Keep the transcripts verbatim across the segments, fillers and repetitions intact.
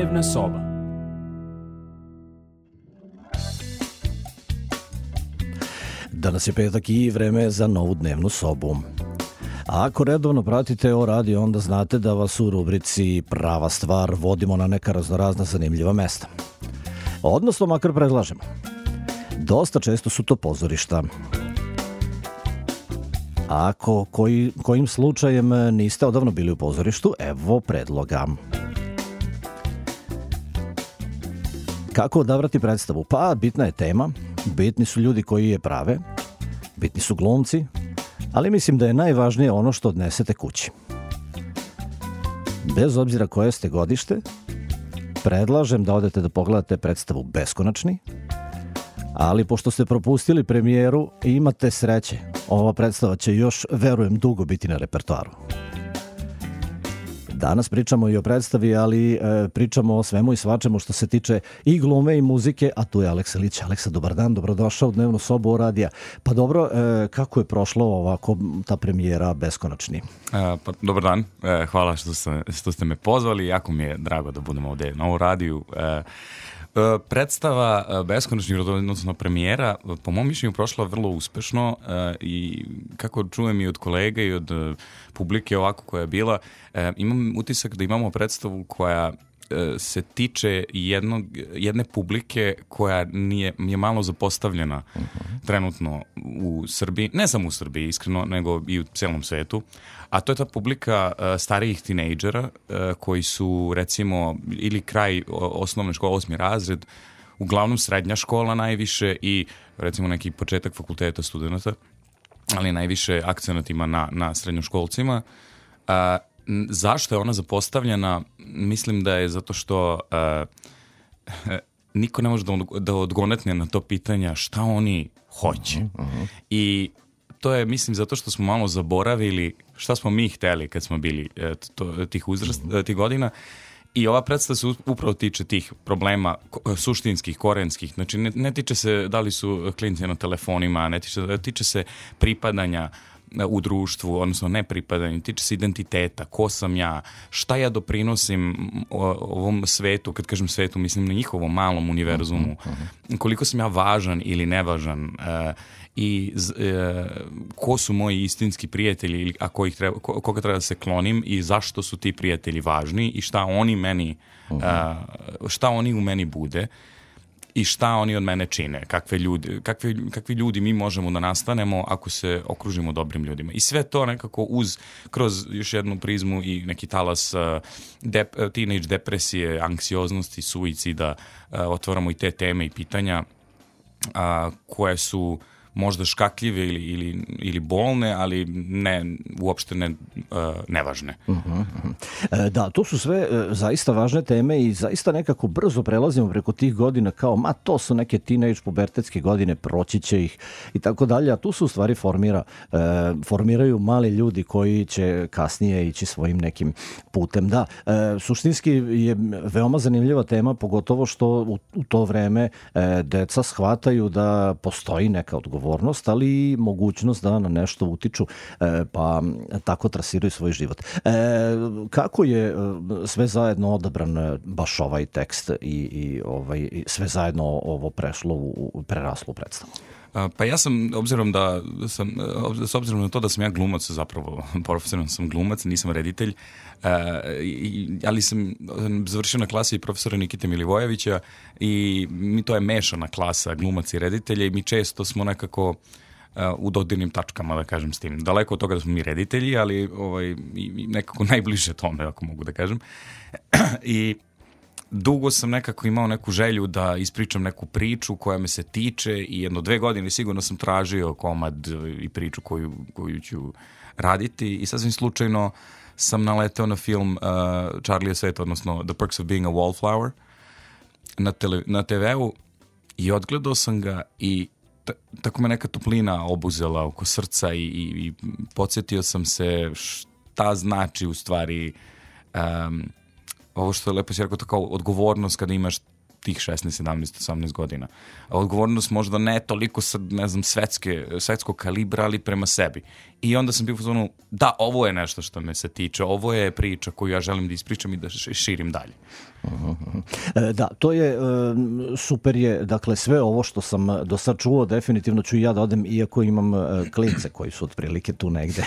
Dnevna soba. Danas je petak i vreme za novu dnevnu sobu. A ako redovno pratite o radio, onda znate da vas u rubrici Prava stvar vodimo na neka raznorazna zanimljiva mesta. Odnosno, makar predlažemo. Dosta često su to pozorišta. A ako koji, kojim slučajem niste odavno bili u pozorištu, evo predloga. Kako odabrati predstavu? Pa, bitna je tema, bitni su ljudi koji je prave, bitni su glumci, ali mislim da je najvažnije ono što odnesete kući. Bez obzira koje ste godište, predlažem da odete da pogledate predstavu Beskonačni, ali pošto ste propustili premijeru, imate sreće. Ova predstava će još, verujem, dugo biti na repertoaru. Danas pričamo i o predstavi, ali e, pričamo o svemu i svačemu što se tiče i glume i muzike, a tu je Aleksa Lić. Aleksa, dobar dan, dobrodošao u dnevnu sobu radija. Pa dobro, e, kako je prošlo ovako ta premijera Beskonačni? E, pa, dobar dan, e, hvala što ste, što ste me pozvali, jako mi je drago da budemo ovdje na ovu radiju. E, Predstava Beskonačni, odnosno premijera, po mom mišljenju prošla vrlo uspešno i kako čujem i od kolega i od publike ovako koja je bila, imam utisak da imamo predstavu koja se tiče jednog, jedne publike koja nije, je malo zapostavljena uh-huh. trenutno u Srbiji, ne samo u Srbiji iskreno, nego i u cijelom svetu, a to je ta publika uh, starijih tinejdžera uh, koji su recimo ili kraj osnovne škole, osmi razred, uglavnom srednja škola najviše i recimo neki početak fakulteta studenata, ali najviše akcenat ima na, na srednjoškolcima. Uh, Zašto je ona zapostavljena? Mislim da je zato što uh, niko ne može da, da odgonetne na to pitanja šta oni hoće. Uh-huh, uh-huh. I to je, mislim, zato što smo malo zaboravili šta smo mi hteli kad smo bili to, tih, uzrast, uh-huh. tih godina. I ova predstava se upravo tiče tih problema suštinskih, korenskih. Znači, ne, ne tiče se da li su klinci na telefonima, ne tiče, tiče se pripadanja u društvu, odnosno ne pripadanje, tiče se identiteta, ko sam ja, šta ja doprinosim ovom svetu, kad kažem svetu, mislim na njihovom malom univerzumu, koliko sam ja važan ili nevažan i ko su moji istinski prijatelji, a ko ih treba, koga treba da se klonim i zašto su ti prijatelji važni i šta oni meni, šta oni u meni bude. I šta oni od mene čine, kakve ljudi, kakve, kakvi ljudi mi možemo da nastanemo ako se okružimo dobrim ljudima. I sve to nekako uz, kroz još jednu prizmu i neki talas uh, dep, teenage depresije, anksioznosti, suicida, uh, otvaramo i te teme i pitanja uh, koje su možda škakljive ili, ili, ili bolne, ali ne, uopšte ne, uh, nevažne. Uh-huh, uh-huh. E, da, to su sve e, zaista važne teme i zaista nekako brzo prelazimo preko tih godina kao, ma to su neke teenage pubertetske godine, proći će ih i tako dalje, a tu se u stvari formira, e, formiraju mali ljudi koji će kasnije ići svojim nekim putem. Da, e, suštinski je veoma zanimljiva tema, pogotovo što u, u to vreme e, deca shvataju da postoji neka odgovornost, ali i mogućnost da na nešto utiču, pa tako trasiraju svoj život. E, kako je sve zajedno odabran baš ovaj tekst i, i ovaj, sve zajedno ovo prešlo u preraslu predstavu? Pa ja sam, obzirom da sam, s obzirom na to da sam ja glumac, zapravo profesionalno sam glumac, nisam reditelj, ali sam završio na klasi profesora Nikite Milivojevića i mi to je mešana klasa glumac i reditelja i mi često smo nekako u dodirnim tačkama, da kažem, s tim. Daleko od toga da smo mi reditelji, ali ovaj, nekako najbliže tome, ako mogu da kažem. I dugo sam nekako imao neku želju da ispričam neku priču koja me se tiče i jedno dve godine sigurno sam tražio komad i priču koju, koju ću raditi i sasvim slučajno sam naleteo na film uh, Charlie Svet, odnosno The Perks of Being a Wallflower na, tele, na te veu i odgledao sam ga i t- tako me neka toplina obuzela oko srca i, i, i podsjetio sam se šta znači u stvari um, ovo što je lepo si rekao, to kao odgovornost kada imaš tih šesnaest, sedamnaest, osamnaest godina. A odgovornost možda ne toliko sad, ne znam, svetske, svetskog kalibra, ali prema sebi. I onda sam bio u zonu, da, ovo je nešto što me se tiče, ovo je priča koju ja želim da ispričam i da širim dalje. Uh-huh. E, da, to je, e, super je, dakle, sve ovo što sam do sad čuo, definitivno ću i ja da odem, iako imam e, klince koji su otprilike tu negde.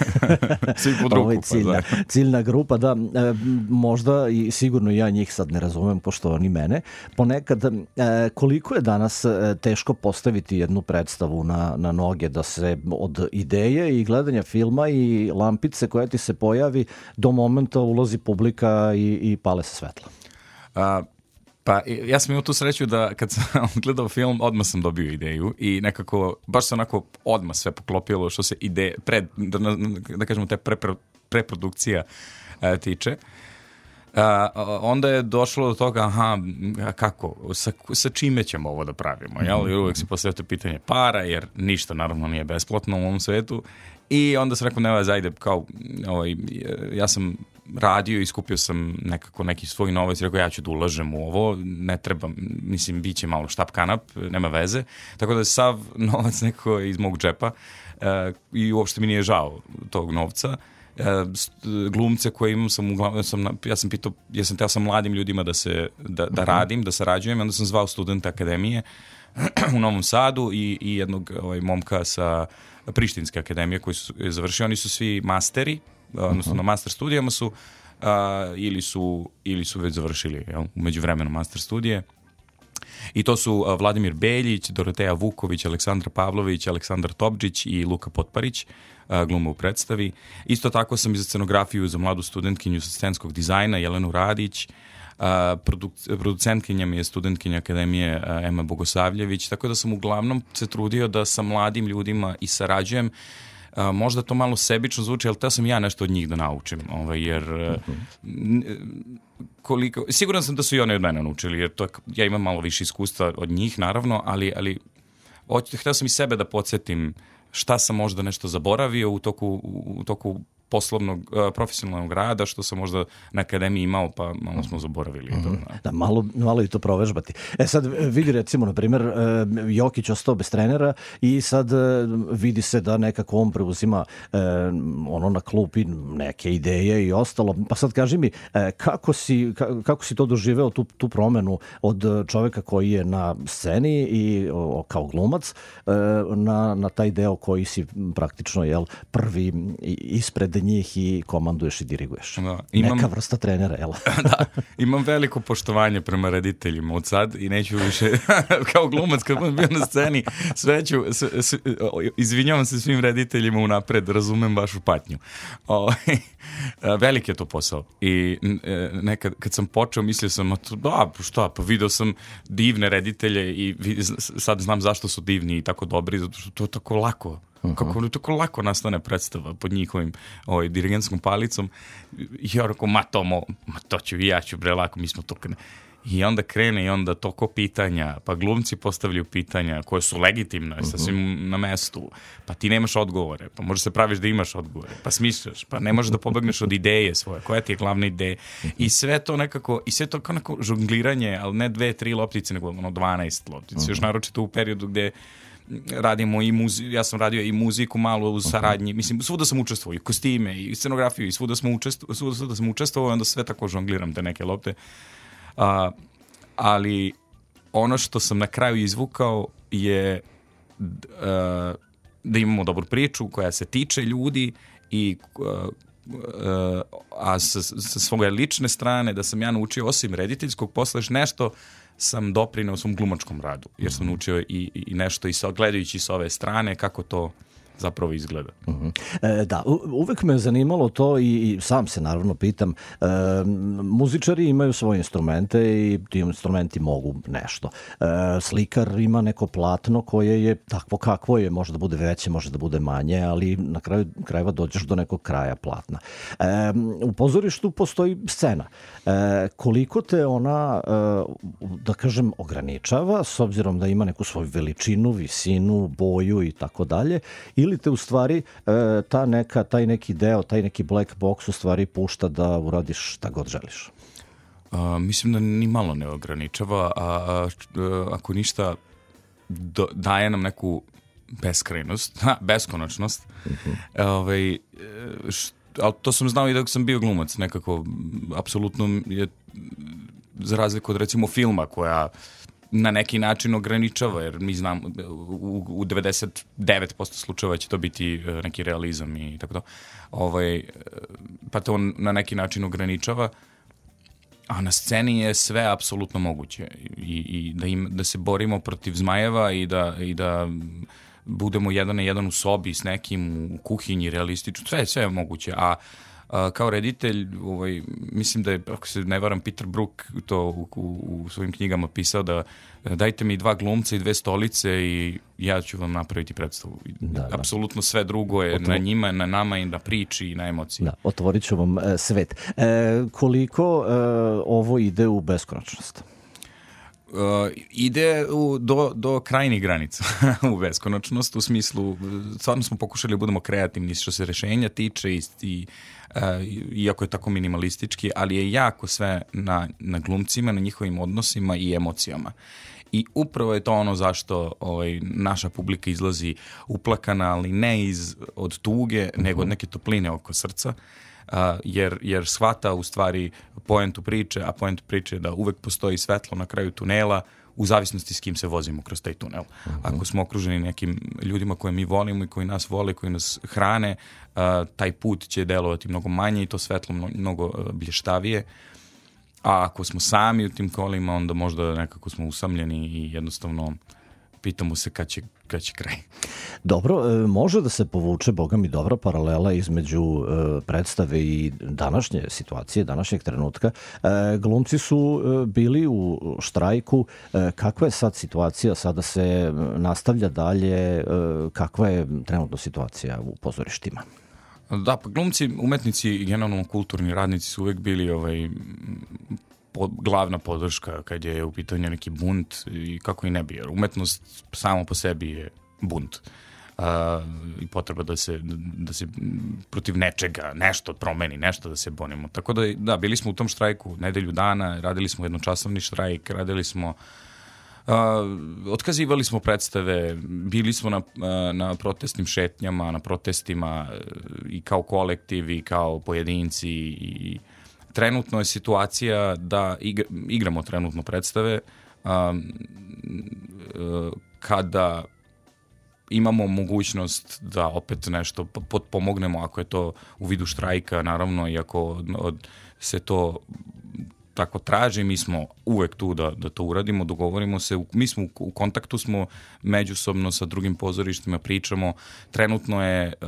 Svi pod ruku, pa ciljna, da. Ciljna grupa, da, e, možda i sigurno ja njih sad ne razumem, pošto oni mene. Ponekad, e, koliko je danas e, teško postaviti jednu predstavu na, na noge, da se od ideje i gledanja filma i lampice koja ti se pojavi do momenta ulazi publika i, i pale se svetla? A, pa ja sam imao tu sreću da kad sam gledao film, odmah sam dobio ideju i nekako, baš se onako odmah sve poklopilo što se ideje, pred, da, da kažemo te pre, pre, preprodukcija a, tiče. A, onda je došlo do toga, aha, kako, sa, sa čime ćemo ovo da pravimo, jel? Jer uvek se postavlja to pitanje para, jer ništa naravno nije besplatno u ovom svetu. I onda sam rekao, nema, zajde, kao, ovaj, ja sam radio i skupio sam nekako neki svoj novac i rekao, ja ću da ulažem u ovo, ne treba, mislim, bit će malo štap kanap, nema veze. Tako da je sav novac nekako iz mog džepa e, i uopšte mi nije žao tog novca. E, glumce koje imam sam uglavnom, sam, ja sam pitao, ja sam teo sa mladim ljudima da se, da, da radim, da sarađujem, i onda sam zvao studenta akademije u Novom Sadu i, i jednog ovaj, momka sa Prištinske akademije koji su završili, oni su svi masteri, odnosno na master studijama su, a, ili su ili su već završili, jel, u međuvremenu master studije. I to su a, Vladimir Beljić, Doroteja Vuković, Aleksandra Pavlović, Aleksandar Topčić i Luka Potparić, a, glume u predstavi. Isto tako sam i za scenografiju za mladu studentkinju sa scenskog dizajna Jelenu Radić. Uh, produc- producentkinja mi je studentkinja akademije uh, Ema Bogosavljević, tako da sam uglavnom se trudio da sa mladim ljudima i sarađujem. Uh, možda to malo sebično zvuči, ali teo sam ja nešto od njih da naučim, ovaj, jer uh, koliko, siguran sam da su i one od mene naučili, jer to, ja imam malo više iskustva od njih, naravno, ali, ali hteo sam i sebe da podsjetim šta sam možda nešto zaboravio u toku, u toku poslovnog, uh, profesionalnog rada, što sam možda na akademiji imao, pa malo smo zaboravili. Mm-hmm. Da, da, malo, malo i to provežbati. E sad vidi recimo, na primjer, uh, Jokić ostao bez trenera i sad uh, vidi se da nekako on preuzima uh, ono na klupi neke ideje i ostalo. Pa sad kaži mi, uh, kako, si, ka, kako si to doživeo, tu, tu promenu od čoveka koji je na sceni i o, kao glumac uh, na, na taj deo koji si praktično, jel, prvi ispred njih i komanduješ i diriguješ. Da, imam, neka vrsta trenera, jel? Da, imam veliko poštovanje prema rediteljima od sad i neću više, kao glumac kad budem bio na sceni, sve ću, sve, sve, izvinjavam se svim rediteljima unapred, razumem vašu patnju. O, velik je to posao i nekad kad sam počeo mislio sam, da, šta, pa video sam divne reditelje i sad znam zašto su divni i tako dobri, zato što to je tako lako. Uh-huh. Kako tako lako nastane predstava pod njihovim ovaj, dirigentskom palicom. I ja rekao, ma to, mo, ma to ću i ja ću, bre, lako, mi smo to... I onda krene i onda toko pitanja, pa glumci postavljaju pitanja koje su legitimne, uh-huh. sasvim na mestu, pa ti nemaš odgovore, pa možeš se praviš da imaš odgovore, pa smišljaš, pa ne možeš da pobegneš od ideje svoje, koja ti je glavna ideja. Uh-huh. I sve to nekako, i sve to kao neko žongliranje, ali ne dve, tri loptice, nego ono dvanaest loptice, uh-huh. još naročito u periodu gde radimo i muziku, ja sam radio i muziku malo u saradnji, mislim, svuda sam učestvovao, i kostime, i scenografiju, i svuda, smo učestvo, svuda, svuda sam učestvovao, i onda sve tako žongliram te neke lopte. Uh, ali ono što sam na kraju izvukao je uh, da imamo dobru priču koja se tiče ljudi i uh, uh, a sa, sa svoje lične strane da sam ja naučio osim rediteljskog posla još nešto sam doprineo svom glumačkom radu, jer sam naučio i, i nešto i sa, gledajući s ove strane kako to zapravo izgleda. Uh-huh. E, da, u, uvek me je zanimalo to i, i sam se naravno pitam, e, muzičari imaju svoje instrumente i ti instrumenti mogu nešto. E, slikar ima neko platno koje je takvo kakvo je, može da bude veće, može da bude manje, ali na kraju krajeva dođeš do nekog kraja platna. E, u pozorištu postoji scena. E, koliko te ona, e, da kažem, ograničava, s obzirom da ima neku svoju veličinu, visinu, boju i tako dalje, ili te u stvari ta neka, taj neki deo, taj neki black box u stvari pušta da uradiš šta god želiš? Uh, mislim da ni malo ne ograničava, a, a, a ako ništa do, daje nam neku beskrajnost, ha, beskonačnost. Uh-huh. Ovaj, št, ali to sam znao i dok sam bio glumac, nekako, apsolutno je, za razliku od recimo filma koja na neki način ograničava, jer mi znam u, u devedeset devet posto slučajeva će to biti neki realizam i tako to. Ovaj, pa to na neki način ograničava, a na sceni je sve apsolutno moguće i, i da, im, da se borimo protiv zmajeva i da, i da budemo jedan na jedan u sobi s nekim u kuhinji realistično, sve, sve je moguće, a Uh, kao reditelj, ovaj, mislim da je, ako se ne varam, Peter Brook to u, u, u svojim knjigama pisao da dajte mi dva glumca i dve stolice i ja ću vam napraviti predstavu. Da, da. Apsolutno sve drugo je Otvo... na njima, na nama i na priči i na emociji. Da, otvorit ću vam e, svet. E, koliko e, ovo ide u beskonačnost? Uh, ide u, do, do krajnjih granica u beskonačnost, u smislu, stvarno smo pokušali da budemo kreativni što se rešenja tiče i, i uh, iako je tako minimalistički, ali je jako sve na, na glumcima, na njihovim odnosima i emocijama. I upravo je to ono zašto ovaj, naša publika izlazi uplakana, ali ne iz, od tuge, uh-huh. nego od neke topline oko srca. Uh, jer, jer shvata u stvari poentu priče, a poentu priče je da uvek postoji svetlo na kraju tunela u zavisnosti s kim se vozimo kroz taj tunel. Uh-huh. Ako smo okruženi nekim ljudima koje mi volimo i koji nas vole, koji nas hrane, uh, taj put će delovati mnogo manje i to svetlo mnogo, mnogo blještavije. A ako smo sami u tim kolima, onda možda nekako smo usamljeni i jednostavno pitamo se kad će, kad će kraj. Dobro, može da se povuče, boga mi, dobra paralela između e, predstave i današnje situacije, današnjeg trenutka. E, glumci su e, bili u štrajku. E, kakva je sad situacija? Sada se nastavlja dalje. E, kakva je trenutno situacija u pozorištima? Da, pa glumci, umetnici i generalno kulturni radnici su uvek bili ovaj, pod, glavna podrška kad je u pitanju neki bunt i kako i ne bi, jer umetnost samo po sebi je bunt. Uh, i potreba da se, da se protiv nečega, nešto promeni, nešto da se bonimo. Tako da, da, bili smo u tom štrajku nedelju dana, radili smo jednočasovni štrajk, radili smo Uh, otkazivali smo predstave, bili smo na, uh, na protestnim šetnjama, na protestima uh, i kao kolektiv i kao pojedinci i trenutno je situacija da igra, igramo trenutno predstave uh, uh, kada imamo mogućnost da opet nešto potpomognemo ako je to u vidu štrajka, naravno, i ako od, od, se to tako traži, mi smo uvek tu da, da to uradimo, dogovorimo se, mi smo u, u kontaktu smo međusobno sa drugim pozorištima, pričamo, trenutno je uh,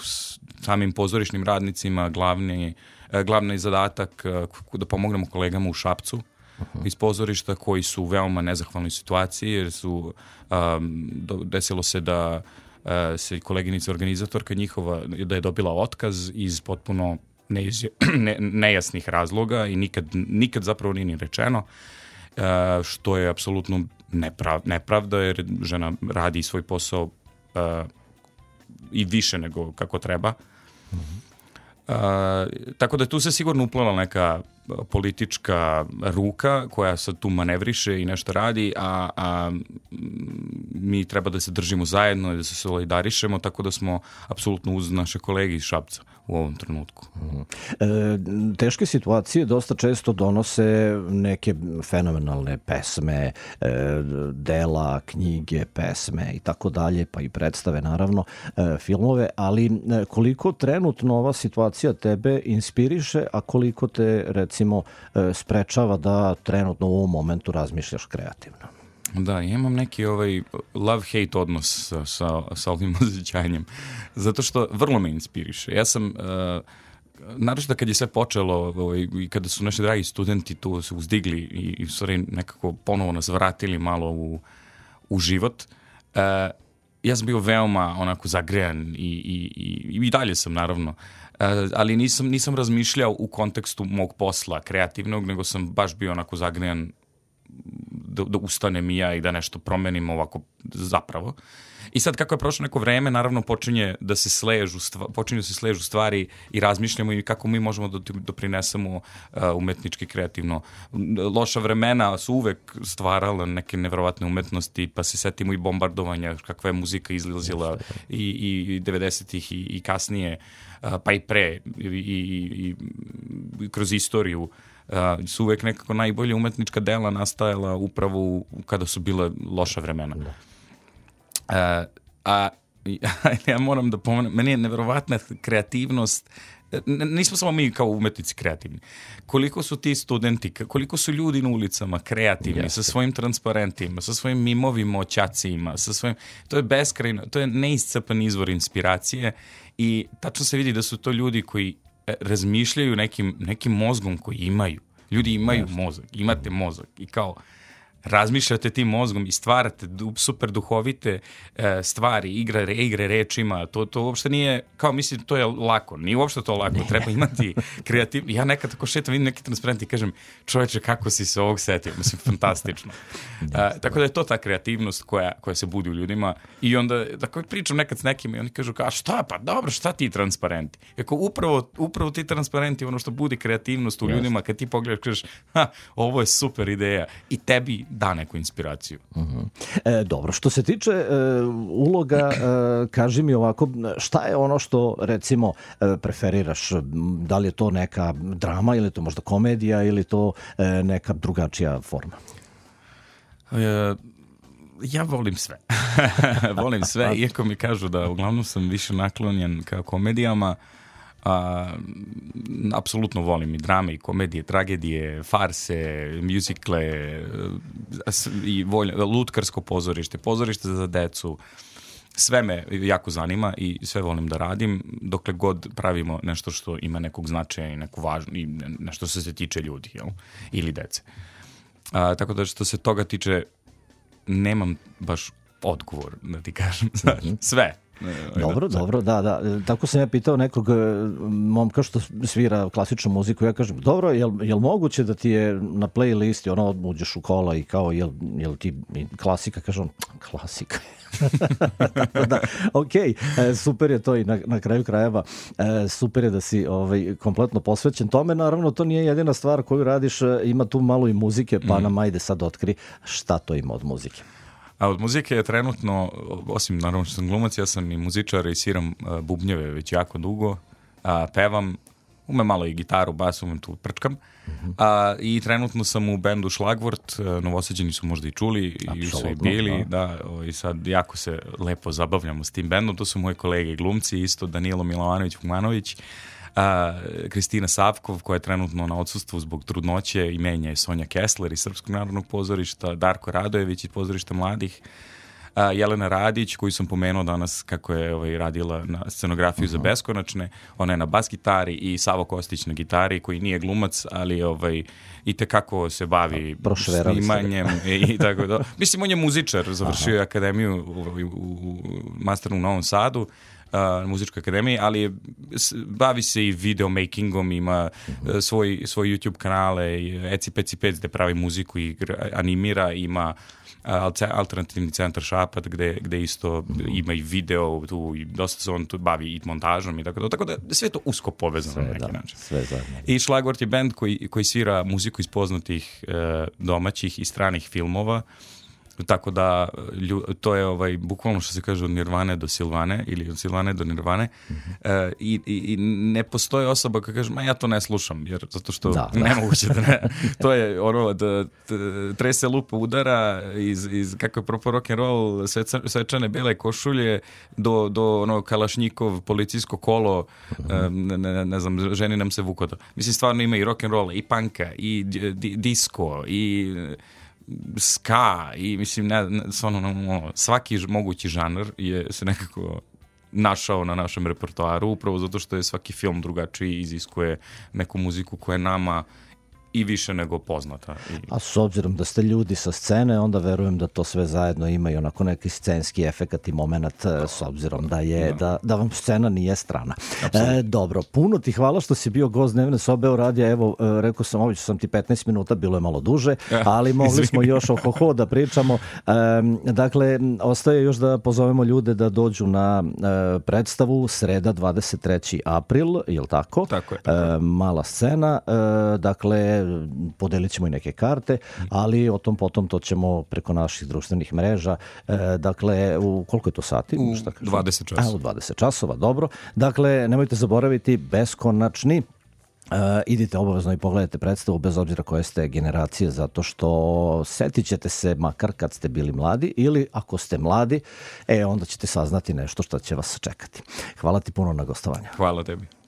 s samim pozorišnim radnicima glavni, uh, glavni zadatak uh, da pomognemo kolegama u Šapcu uh-huh. iz pozorišta koji su u veoma nezahvalnoj situaciji, jer su um, do, desilo se da uh, se koleginica organizatorka njihova, da je dobila otkaz iz potpuno Ne, nejasnih razloga i nikad, nikad zapravo nije ni rečeno, e, što je apsolutno neprav, nepravda, jer žena radi svoj posao e, i više nego kako treba. Mm-hmm. E, tako da tu se sigurno uplela neka politička ruka koja sad tu manevriše i nešto radi, a, a mi treba da se držimo zajedno i da se solidarišemo, tako da smo apsolutno uz naše kolege iz Šapca u ovom trenutku. E, teške situacije dosta često donose neke fenomenalne pesme, e, dela, knjige, pesme i tako dalje, pa i predstave, naravno, e, filmove, ali koliko trenutno ova situacija tebe inspiriše, a koliko te, recimo, e, sprečava da trenutno u ovom momentu razmišljaš kreativno? Da, ja imam neki ovaj love-hate odnos sa, sa, sa ovim osjećanjem, zato što vrlo me inspiriše. Ja sam, uh, naročito kad je sve počelo ovaj, i kada su naši dragi studenti tu se uzdigli i, i stvari nekako ponovo nas vratili malo u, u život, uh, ja sam bio veoma onako zagrejan i, i, i, i dalje sam, naravno, uh, ali nisam, nisam razmišljao u kontekstu mog posla kreativnog, nego sam baš bio onako zagrejan da, da ustanem i ja i da nešto promenim ovako zapravo. I sad kako je prošlo neko vreme, naravno počinje da se sležu, počinju da se sležu stvari i razmišljamo i kako mi možemo da doprinesemo uh, umetnički, kreativno. Loša vremena su uvek stvarala neke nevjerovatne umetnosti, pa se setimo i bombardovanja, kakva je muzika izlazila i, i devedesetih i, i kasnije, uh, pa i pre i, i, i kroz istoriju. Uh, su uvek nekako najbolje umetnička dela nastajala upravo u, kada su bile loša vremena. Uh, a ja moram da pomenem, meni je neverovatna kreativnost, N- nismo samo mi kao umetnici kreativni, koliko su ti studenti, koliko su ljudi na ulicama kreativni, Jeste. sa svojim transparentima, sa svojim mimovim oćacima, sa svojim, to je beskrajno, to je neiscrpan izvor inspiracije i tačno se vidi da su to ljudi koji razmišljaju nekim, nekim mozgom koji imaju. Ljudi imaju Jeste. mozak, imate mozak i kao razmišljate tim mozgom i stvarate super duhovite e, stvari, igre, re, igre rečima, to, to uopšte nije, kao mislim, to je lako, nije uopšte to lako, treba imati kreativ... Ja nekad tako šetam, vidim neki transparent i kažem, čoveče, kako si se ovog setio, mislim, fantastično. E, tako da je to ta kreativnost koja, koja se budi u ljudima i onda, tako pričam nekad s nekim i oni kažu, kao, šta, pa dobro, šta ti transparenti? Eko, upravo, upravo ti transparenti, ono što budi kreativnost u ljudima, kad ti pogledaš, kažeš, ha, ovo je super ideja i tebi da neku inspiraciju. Uh-huh. E, dobro, što se tiče e, uloga, e, kaži mi ovako, šta je ono što, recimo, e, preferiraš? Da li je to neka drama ili je to možda komedija ili to e, neka drugačija forma? E, ja volim sve. volim sve, iako mi kažu da uglavnom sam više naklonjen ka komedijama. A, apsolutno volim i drame, i komedije, tragedije, farse, mjuzikle i volj, lutkarsko pozorište, pozorište za decu. Sve me jako zanima i sve volim da radim dokle god pravimo nešto što ima nekog značaja i neku važnu, i nešto što se tiče ljudi, jel? Ili dece. A, tako da što se toga tiče nemam baš odgovor, da ti kažem. Sve. Dobro, dobro, da, da. Tako sam ja pitao nekog momka što svira klasičnu muziku, ja kažem, dobro, jel, jel moguće da ti je na playlisti, ono, uđeš u kola i kao, jel, jel ti klasika, kažem, klasika. Tako da, ok, super je to i na, na kraju krajeva, super je da si ovaj, kompletno posvećen tome, naravno to nije jedina stvar koju radiš, ima tu malo i muzike, pa mm. nam ajde sad otkri šta to ima od muzike. A od muzike je trenutno, osim naravno što sam glumac, ja sam i muzičar i sviram uh, bubnjeve već jako dugo, uh, pevam, umem malo i gitaru, bas, umem tu prčkam. Uh, I trenutno sam u bendu Šlagvort, uh, Novosađeni su možda i čuli, i su i bili, da. Da, o, i sad jako se lepo zabavljamo s tim bendom, to su moji kolege glumci, isto Danilo Milovanović-Fumanović, A, Kristina Savkov, koja je trenutno na odsustvu zbog trudnoće, i menja je Sonja Kessler iz Srpskog narodnog pozorišta, Darko Radojević iz pozorišta mladih, a, Jelena Radić, koju sam pomenuo danas kako je ovaj, radila na scenografiju uh-huh. za Beskonačne, ona je na bas gitari, i Savo Kostić na gitari, koji nije glumac, ali ovaj, i tekako se bavi snimanjem i, i tako da. Mislim, on je muzičar, završio je akademiju u, u, u masteru u Novom Sadu, na muzičkoj akademiji, ali bavi se i videomakingom, ima uh, svoj, svoj YouTube kanale, Eci Peci Pec gde pravi muziku i animira, ima alternativni centar Šapat gde, gde isto ima i video tu, i dosta se on tu bavi i montažom i tako da, tako da sve to usko povezano sve, na neki da, način. Sve zajedno. I Šlagvort je band koji, koji svira muziku iz poznatih uh, domaćih i stranih filmova. Tako da to je ovaj bukvalno što se kaže od Nirvane do Silvane ili od Silvane do Nirvane. Mm-hmm. e, i, i ne postoji osoba koja kaže, ma ja to ne slušam, jer zato što da, nemoguće da ne. To je ono da trese lupa udara iz, iz kako je propo rock and roll, svečane bele košulje do, do ono Kalašnjikov policijsko kolo, mm-hmm. e, ne, ne znam, ženi nam se vukoto. Mislim, stvarno ima i rock and roll, i panka, i di, disco, i ska, i mislim ne, ne, ono, svaki mogući žanr je se nekako našao na našem repertoaru, upravo zato što je svaki film drugačiji, iziskuje neku muziku koja nama i više nego poznata. I... A s obzirom da ste ljudi sa scene, onda verujem da to sve zajedno ima i onako neki scenski efekat i moment, s obzirom da je, da, da vam scena nije strana. E, dobro, puno ti hvala što si bio gost Dnevne sobe o radija. Evo, rekao sam, oviću sam ti petnaest minuta, bilo je malo duže, ali mogli smo još ohoho da pričamo. E, dakle, ostaje još da pozovemo ljude da dođu na e, predstavu sreda dvadeset treći april, je li tako? Tako je. Tako. E, mala scena, e, dakle, podelit ćemo i neke karte, ali o tom potom to ćemo preko naših društvenih mreža. E, dakle, u koliko je to sati? U dvadeset časova. A, u dvadeset časova, dobro. Dakle, nemojte zaboraviti beskonačni. Uh, idite obavezno i pogledajte predstavu bez obzira koje ste generacije, zato što setit ćete se makar kad ste bili mladi ili ako ste mladi, e onda ćete saznati nešto što će vas čekati. Hvala ti puno na gostovanje. Hvala tebi.